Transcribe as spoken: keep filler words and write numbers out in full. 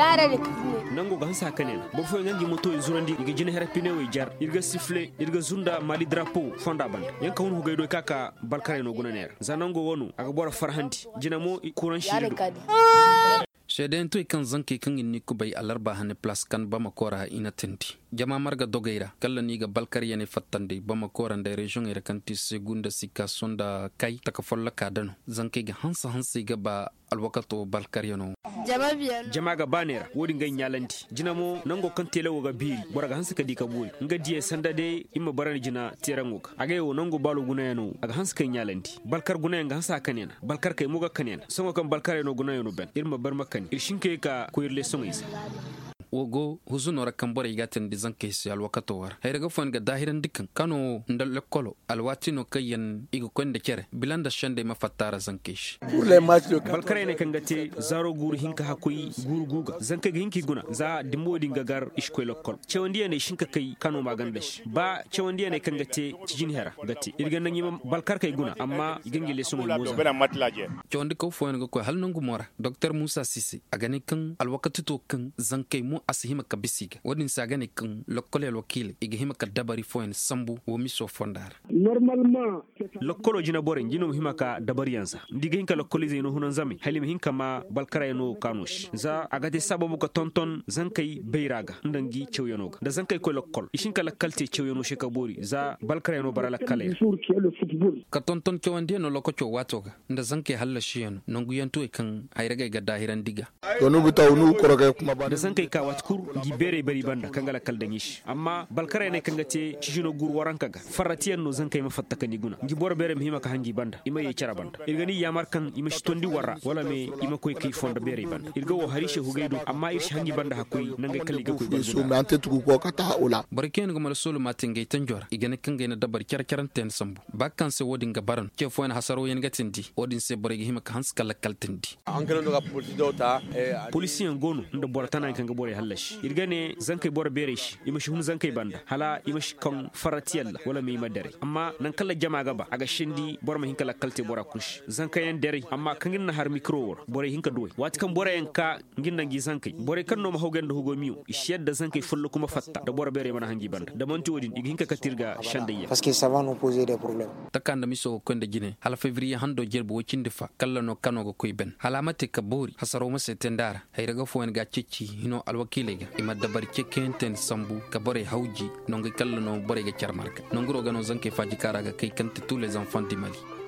Nango ga hanse a kane na boro fooyaŋ ga ngi motoyaŋ zurandi i ga jina hera pinewey jar ir ga sifle ir ga zunda maali darapo fonda banda. Yaŋ ka hun hugay do i ka ka balkarey no guna neera za nango wo no a ga boro farhandi. Jina mo kuraŋ siiri do. Seedeyantoy kaŋ zankey kaŋ i n'i kubay alarba hane palaas kan bamako ra i na tindi jama marga dogey ra kala no i ga balkaryaney fattandi bamako ra nda reziyoŋey ra kaŋ ti segu nda sikaso nda kay taka folloka da no. Zankey ga hanse hanse i ga ba alwakato balkaryano. Jama ga ba neera wo-din ga ay ɲaalandi. Jina mo nango kaŋ teele wo ga beeri boro ga hanse ka di ka boori nga diyey sanda day i ma barandi jina teeraŋo ga agay wo nango baalo gunayaŋo a ga hanse ka ay ɲaalandi. Balkar gunayaŋ ga hanse a kaneena balkarkey mo ga kaneena sohõ kaŋ balkarey no gunayaŋo ban ir ma bar ma kani ir si hin ka ye ka koy ir leesoŋey se. Wo go huzuno ra kaŋ borey ga a teendi zankey se alwakato wo ra hayra ga fooyaŋ ga daahirandi kaŋ kano nda lekkolo alwaati no kaŋ yaŋ i ga koy nda cere bila nda sendey ma fatta ra zankey se. Balkarey ne kaŋ ga te zaaro guuru hinka hakkoy guuru gu ga zankey ga hin ka i guna za dimbo din ga gar i si koy lekkol. Cewandiyaney si hin ka kay kano maaganda se ba cewandiyaney kaŋ ga te cijin hera ga te ir ga naŋ i ma balkarkey guna amma i ga ngi leesoŋey mooza. Cawandikaw fooyaŋ ga koy hala nangu mo ra doktor muusa siise a ga ne kaŋ alwakati to kaŋ zankey mo a si hima ka bisa i ga wo-din se a ga ne kaŋ lokkol alwakiiley i ga hima ka dabari fooyaŋ sambu wo miso fonda ra. Lokkolo jinaborey ngi no ma hima ka dabariyaŋ za nda i ga hin ka lokkoliizey no hunanzamey hala i ma hin ka maa balkarayano kaano se za a ga te sababu ka tonton zankey bayra ga nda ngi cawyano ga nda zankey koy lokkol i si hin ka lakkal te cawyano se ka boori za balkarayano bara lakkaley ra. Ka tonton cawandiyano lokaco waato ga nda zankey hallasiyano nonguyantuwey kaŋ hayragey ga daahirandi ga. Da zankey ka waati kul ngi beerey bari banda kaŋ ga lakkal daŋ i se amma balkarayaney kaŋ ga te cijino guuru waranka ga farratiyaŋ no zankey ma fatta ka ni guna ngi boro beerey ma hima ka haŋ ngi banda i ma yee cere banda ir ga ni yaamar kaŋ i ma si tondi war ra wala me i ma koy kay fondo beerey banda ir ga woo hari se hugay do amma ir si haŋ ngi banda hakkoy nangey kaŋ i ga koy banda. Borey kaŋ yaŋ ga mala soolu maate ngey tanjo ra i ga ne kaŋ gay na dabari care care nte yaŋ sambu ba kaŋ se wo-din ga bara no ce fooyaŋ hasarooyaŋ ga tindi wo-din se borey ga hima ka hanse ka lakkal tindi. Polisiyaŋ go no nda boro tana yaŋ kaŋ ga borey hallasi ir ga ne zankey boro beerey se i ma si hun zankey banda hala i ma si kaŋ farratiyaŋ ra wala me i ma daray amma naŋ kaŋ ra jama ga ba a ga sendi boro ma hin ka lakkal te bora kul se zankayaŋ daray amma kaŋ ir na har mikiro wo ra borey hin ka duwey waati kaŋ boroyaŋ ka ngi nda ngi zankey borey kaŋ no ma hawgay nda hugo miyo i si yadda zankey folloku ma fatta nda boro beerey mana haŋ ngi banda nda man'ti wo-din i ga hin ka kate ir ga sendayyaŋ. Taka nda miso ga koy nda jine hala febiriye hando jerbe woy cindi fa kalla no kano ga koy ben hala a ma te ka boori hasaro ma se te nda a ra. Hayra ga fooyaŋ ga a ceeci hino alwakiiley ga i ma dabari cekeyante nda sambu ka borey hawji nongu kalla no borey ga care marga nonguro ga no zankey faaji kaŋ a ra ga kay kaŋ te tous les enfants du mali.